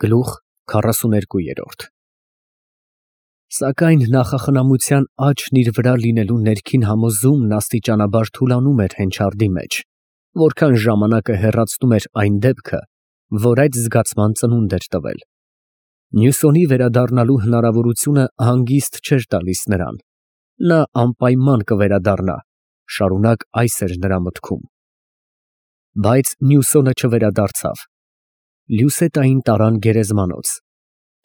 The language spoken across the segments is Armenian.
Գլուխ 42 Սակայն նախախնամության աճն իր վրա լինելու ներքին համոզումն աստիճանաբար թուլանում էր Հենչարդի մեջ, որքան ժամանակը հեռացնում էր այն դեպքը, որ այդ զգացման ծնունդ էր տվել։ Նյուսոնի վերադառնալու հնարավորությունը հանգիստ չէր տալիս նրան։ Նա անպայման կվերադառնա, շարունակ այս էր նրա մտքում։ Բայց Նյուսոնը չվերադարձավ։ Լյուսետային տարան գերեզմանոց։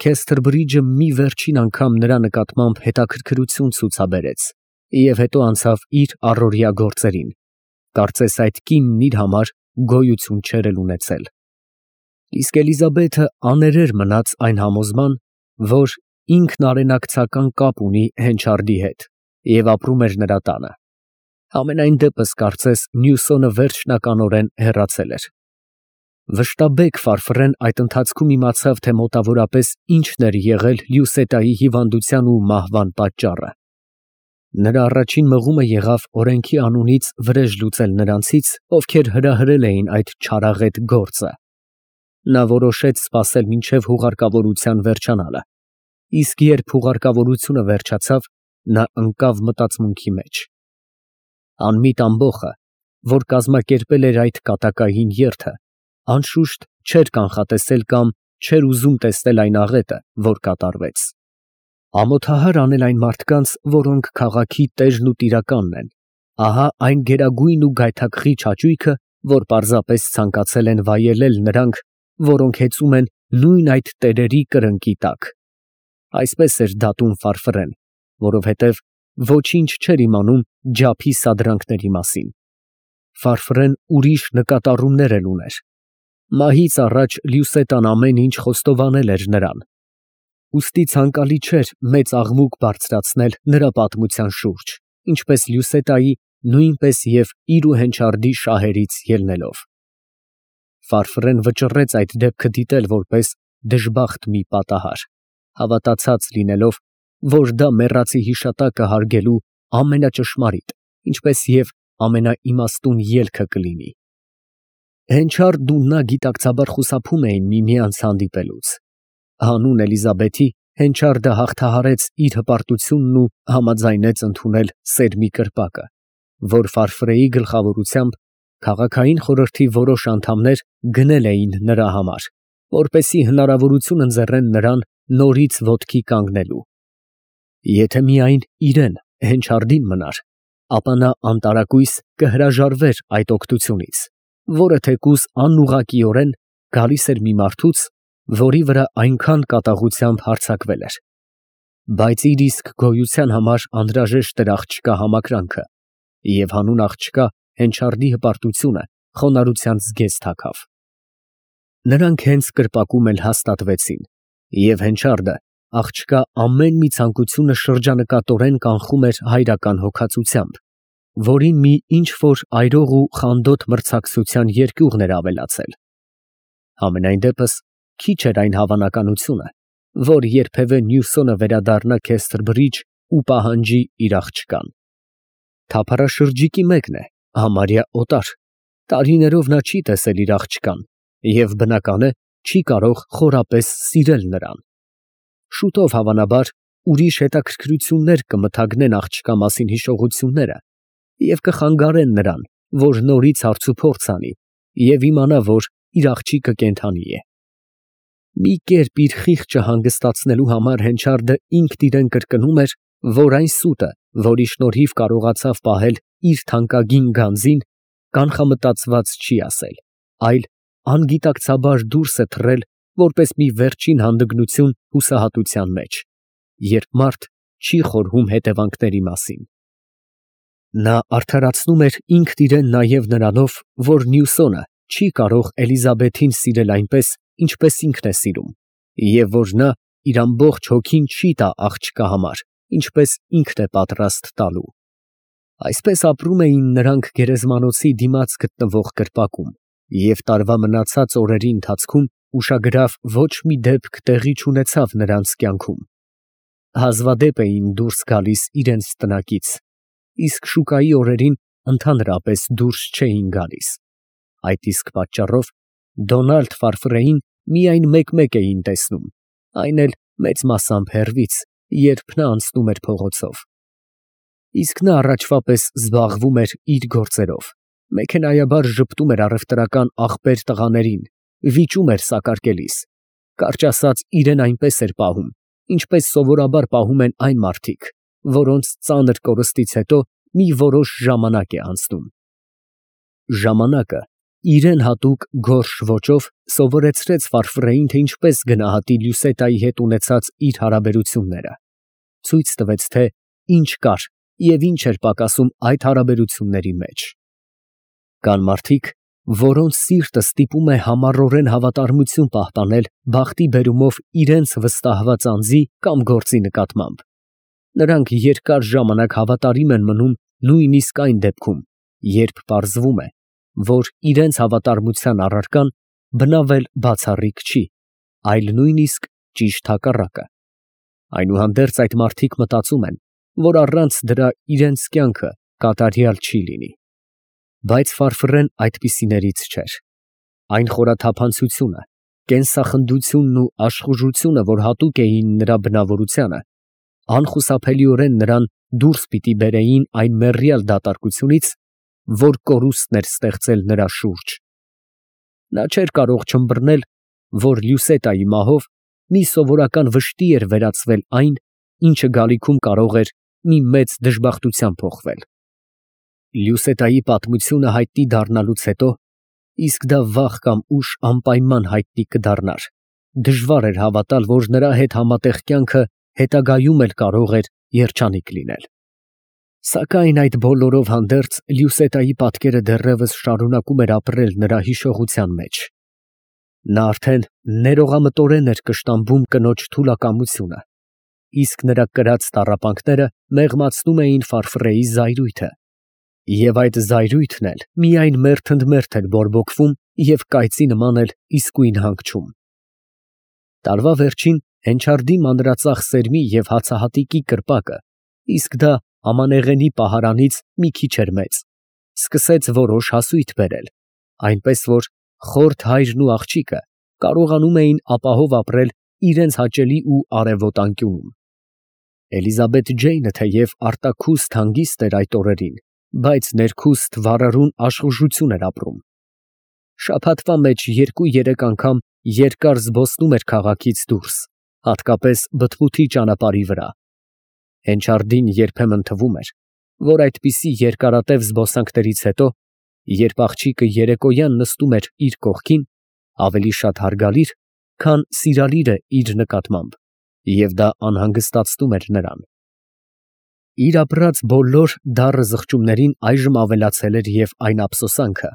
Քեսթրբրիջը մի վերջին անգամ նրա նկատմամբ հետաքրքրություն ցուցաբերեց և հետո անցավ իր առօրյա գործերին, կարծես այդ կինն իր համար գոյություն չէր էլ ունեցել։ Իսկ Էլիզաբեթը աներեր մնաց այն համոզման, որ ինքն արենակցական կապ ունի Հենչարդի հետ և ապրում էր նրա տանը։ Համենայն դեպս կարծես Նյուսոնը վերջնականորեն հեռացել էր։ Վշտաբեկ Ֆարֆռեն այդ ընթացքում իմացավ, թե մոտավորապես ինչն էր եղել Լյուսետայի հիվանդության ու մահվան պատճառը։ Նրա առաջին մղումը եղավ օրենքի անունից վրեժ լուծել նրանցից, ովքեր հրահրել էին այդ չարաղետ գործը։ Նա որոշեց սպասել մինչև հուղարկավորության վերջանալը, իսկ երբ հուղարկավորությունը վերջացավ, նա ընկավ մտածմունքի մեջ։ Անմիտ ամբոխը, որ կազմակերպել էր այդ կատակային երթը, անշուշտ չէր կանխատեսել կամ չէր ուզում տեսնել այն աղետը, որ կատարվեց։ Ամոթահար անել այն մարդկանց, որոնք քաղաքի տերն ու տիրականն են, ահա այն գերագույն ու գայթակղիչ հաճույքը, որ պարզապես ցանկացել են վայելել նրանք, որոնք հեծում են նույն այդ տերերի կրնկի տակ։ Այսպես էր դատում Ֆարֆռեն, որովհետև ոչինչ չէր իմանում ջափի սադրանքների մասին։ Ֆարֆռեն ուրիշ նկատառումներ էլ ուներ։ Մահից առաջ Լյուսետան ամեն ինչ խոստովանել էր նրան։ Ուստի ցանկալի չէր մեծ աղմուկ բարձրացնել նրա պատմության շուրջ, ինչպես Լյուսետայի, նույնպես և իր ու Հենչարդի շահերից ելնելով։ Ֆարֆռեն վճռեց այդ դեպքը դիտել որպես դժբախտ մի պատահար, հավատացած լինելով, որ դա մեռածի հիշատակը հարգելու ամենաճշմարիտ, ինչպես և ամենաիմաստուն ելքը կլինի։ Հենչարդն ու նա գիտակցաբար խուսափում էին միմյանց հանդիպելուց։ Հանուն Էլիզաբեթի Հենչարդը հաղթահարեց իր հպարտությունն ու համաձայնեց ընդունել սերմի կրպակը, որ Ֆարֆրեի գլխավորությամբ քաղաքային խորհրդի որոշ անդամներ գնել էին նրա համար, որպեսզի հնարավորություն ընձեռեն նրան նորից ոտքի կանգնելու։ Եթե միայն իրեն, Հենչարդին մնար, ապա նա անտարակույս կհրաժարվեր այդ օգնությունից, որը թեկուզ անուղղակիորեն գալիս էր մի մարդուց, որի վրա այնքան կատաղությամբ հարձակվել էր։ Բայց իր իսկ գոյության համար անհրաժեշտ էր աղջկա համակրանքը, և հանուն աղջկա Հենչարդի հպարտությունը խոնարհության զգեստ հագավ։ Նրանք հենց կրպակում էլ հաստատվեցին, և Հենչարդը աղջկա ամեն մի ցանկությունը շրջանկատորեն կանխում էր հայրական հոգածությամբ, որին մի ինչ֊որ այրող ու խանդոտ մրցակցության երկյուղն էր ավելացել։ Համենայն դեպս քիչ էր այն հավանականությունը, որ երբևէ Նյուսոնը վերադառնա Քեսթրբրիջ ու պահանջի իր աղջկան։ Թափառաշրջիկի մեկն է, համարյա օտար, տարիներով նա չի տեսել իր աղջկան և, բնական է, չի կարող խորապես սիրել նրան։ Շուտով, հավանաբար, ուրիշ հետաքրքրություններ կմթագնեն աղջկա մասին հիշողությունները և կխանգարեն նրան, որ նորից հարցուփորձ անի և իմանա, որ իր աղջիկը կենդանի է։ Մի կերպ իր խիղճը հանգստացնելու համար Հենչարդը ինքն իրեն կրկնում էր, որ այն սուտը, որի շնորհիվ կարողացավ պահել իր թանկագին գանձին, կանխամտածված չի ասել, այլ անգիտակցաբար դուրս է թռել որպես մի վերջին հանդգնություն հուսահատության մեջ, երբ մարդ չի խորհում հետևանքների մասին։ Նա արդարացնում էր ինքն իրեն նաև նրանով, որ Նյուսոնը չի կարող Էլիզաբեթին սիրել այնպես, ինչպես ինքն է սիրում, և որ նա իր ամբողջ հոգին չի տա աղջկա համար, ինչպես ինքն է պատրաստ տալու։ Այսպես ապրում էին նրանք գերեզմանոցի դիմաց գտնվող կրպակում, և տարվա մնացած օրերի ընթացքում ուշագրավ ոչ մի դեպք տեղի չունեցավ նրանց կյանքում։ Հազվադեպ էին դուրս գալիս իրենց տնակից, իսկ շուկայի օրերին ընդհանրապես դուրս չէին գալիս։ Այդ իսկ պատճառով Դոնալդ Ֆարֆրեին միայն մեկ-մեկ էին տեսնում, այն էլ մեծ մասամբ հեռվից, երբ նա անցնում էր փողոցով։ Իսկ նա առաջվա պես զբաղվում էր իր գործերով, մեքենայաբար ժպտում էր առևտրական աղբեր տղաներին, վիճում էր սակարկելիս, կարճ ասած, իրեն այնպես էր պահում, ինչպես սովորաբար պահում են այն մարդիկ, որոնց ծանր կորստից հետո մի որոշ ժամանակ է անցնում։ Ժամանակը իրեն հատուկ գորշ ոճով սովորեցրեց Ֆարֆրեին, թե ինչպես գնահատի Լյուսետայի հետ ունեցած իր հարաբերությունները, ցույց տվեց, թե ինչ կար և ինչ էր պակասում այդ հարաբերությունների մեջ։ Կան մարդիկ, որոնց սիրտը ստիպում է համառորեն հավատարմություն պահպանել բախտի բերումով իրենց վստահված անձի կամ գործի նկատմամբ։ Նրանք երկար ժամանակ հավատարիմ են մնում նույնիսկ այն դեպքում, երբ պարզվում է, որ իրենց հավատարմության առարկան բնավել բացառիկ չի, այլ նույնիսկ ճիշտ հակառակը։ Այնուհանդերձ այդ մարդիկ մտածում են, որ առանց դրա իրենց կյանքը կատարյալ չի լինի։ Բայց Ֆարֆրեն այդպիսիներից չէր։ Այն խորաթափանցությունը, կենսախնդությունն ու աշխուժությունը, որ հատուկ էին նրա բնավորությանը, անխուսափելիորեն նրան դուրս պիտի բերեին այն մեռյալ դատարկությունից, որ կորուստն էր ստեղծել նրա շուրջ։ Նա չէր կարող չըմբռնել, որ Լյուսետայի մահով մի սովորական վշտի էր վերածվել այն, ինչը գալիքում կարող էր մի մեծ դժբախտության փոխվել։ Լյուսետայի պատմությունը հայտնի դառնալուց հետո, իսկ դա վաղ կամ ուշ անպայման հայտնի կդառնար, դժվար էր հավատալ, որ նրա հետ համատեղ կյանքը հետագայում էլ կարող էր երջանիկ լինել։ Սակայն այդ բոլորով հանդերձ Լյուսետայի պատկերը դեռևս շարունակում էր ապրել նրա հիշողության մեջ։ Նա արդեն ներողամտորեն էր կշտամբում կնոջ թուլակամությունը, իսկ նրա կրած տառապանքները մեղմացնում էին Ֆարֆրեի զայրույթը, և այդ զայրույթն էլ միայն մերթ ընդ մերթ էր բորբոքվում և կայծի նման էր իսկույն հանգչում։ Տարվա վերջին հենչարդի մանրածախ սերմի և հացահատիկի կրպակը, իսկ դա ամանեղենի պահարանից մի քիչ էր մեծ, սկսեց որոշ հասույթ բերել, այնպես որ խորթ հայրն ու աղջիկը կարողանում էին ապահով ապրել իրենց հաճելի ու արևոտ անկյունում։ Էլիզաբեթ Ջեյնը թեև արտաքուստ հանգիստ էր այդ օրերին, բայց ներքուստ վառարուն աշխուժություն էր ապրում։ Շաբաթվա մեջ 2-3 անգամ երկար զբոսնում էր քաղաքից դուրս, հատկապես բթմութի ճանապարհի վրա։ Հենչարդին երբեմն թվում էր, որ այդպիսի երկարատև զբոսանքներից հետո, երբ աղջիկը երեկոյան նստում էր իր կողքին, ավելի շատ հարգալիր, քան սիրալիր է իր նկատմամբ, և դա անհանգստացնում էր նրան։ Իր ապրած բոլոր դառը զղջումներին այժմ ավելացել էր և այն ափսոսանքը,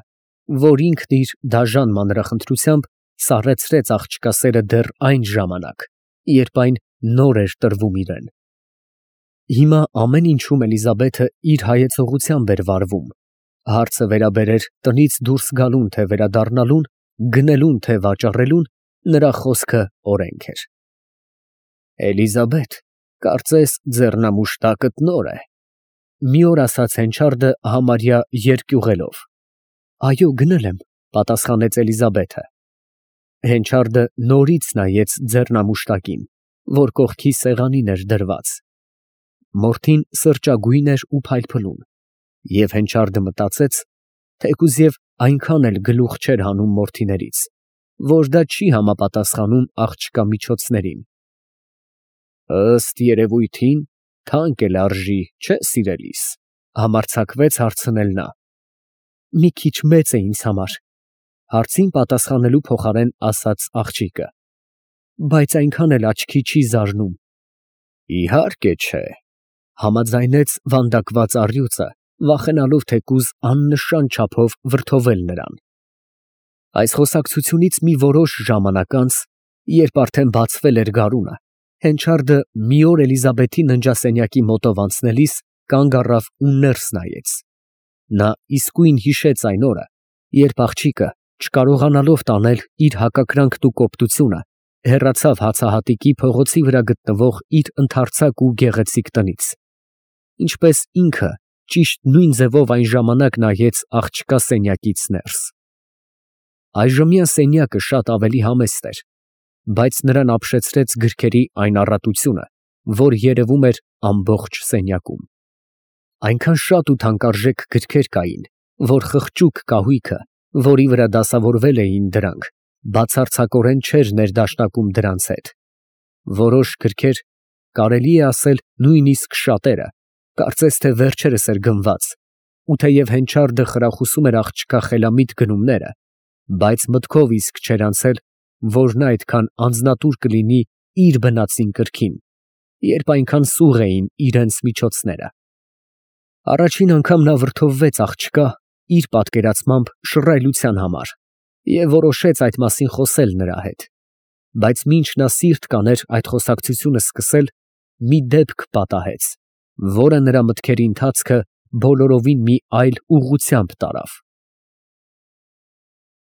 որ ինքն իր դաժան մանրախնդրությամբ սառեցրեց աղջկա սերը դեռ այն ժամանակ, երբ այն նոր էր տրվում իրեն։ Հիմա ամեն ինչում Էլիզաբեթը իր հայեցողությամբ էր վարվում, հարցը վերաբերեր տնից դուրս գալուն, թե վերադառնալուն, գնելուն, թե վաճառելուն, նրա խոսքը օրենք էր։ Էլիզաբեթ, կարծես ձեռնամուշտակդ նոր է, մի օր ասաց Հենչարդը համարյա երկյուղելով։ Այո, գնել եմ, պատասխանեց Էլիզաբեթը։ Հենչարդը նորից նայեց ձեռնամուշտակին, որ կողքի սեղանին էր դրված։ Մորթին սրճագույն էր ու փայլփլուն, և Հենչարդը մտածեց, թեկուզև այնքան էլ գլուխ չէր հանում մորթիներից, որ դա չի համապատասխանում աղջկա միջոցներին։ Ըստ երևույթին, թանկ էլ արժի, չէ՞ սիրելիս, համարձակվեց հարցնել նա։ Մի քիչ մեծ է ինձ համար, հարցին պատասխանելու փոխարեն ասաց աղջիկը, բայց այնքան էլ աչքի չի զարնում։ Իհարկե չէ, համաձայնեց վանդակված առյուծը, վախենալով թեկուզ աննշան չափով վրդովել նրան։ Այս խոսակցությունից մի որոշ ժամանակ անց, երբ արդեն բացվել էր գարունը, Հենչարդը մի օր Էլիզաբեթի ննջասենյակի մոտով անցնելիս կանգ առավ ու ներս նայեց։ Նա իսկույն հիշեց այն օրը, երբ աղջիկը, չկարողանալով տանել իր հակակրանքն ու կոպտությունը, հեռացավ հացահատիկի փողոցի վրա գտնվող իր ընդարձակ ու գեղեցիկ տնից, ինչպես ինքը ճիշտ նույն ձևով այն ժամանակ նայեց աղջկա սենյակից ներս։ Այժմյան սենյակը շատ ավելի համեստ էր, բայց նրան ապշեցրեց գրքերի այն առատությունը, որ երևում էր ամբողջ սենյակում։ Այնքան շատ ու թանկարժեք գրքեր կային, որ խղճուկ կահույքը, որի վրա դասավորվել էին դրանք, բացարձակորեն չէր ներդաշնակում դրանց հետ։ Որոշ գրքեր, կարելի է ասել նույնիսկ շատերը, կարծես թե վերջերս էր գնված, ու թեև հենչարդը խրախուսում էր աղջկա խելամիտ գնումները, բայց մտքով իսկ չէր անցել, որ նա այդքան անձնատուր կլինի իր բնածին կրքին, երբ այնքան սուղ էին իրենց միջոցները։ Առաջին անգամ նա վրդովվեց աղջկա իր պատկերացմամբ շռայլության համար և որոշեց այդ մասին խոսել նրա հետ, բայց մինչ նա սիրտ կաներ այդ խոսակցությունը սկսել, մի դեպք պատահեց, որը նրա մտքերի ընթացքը բոլորովին մի այլ ուղղությամբ տարավ։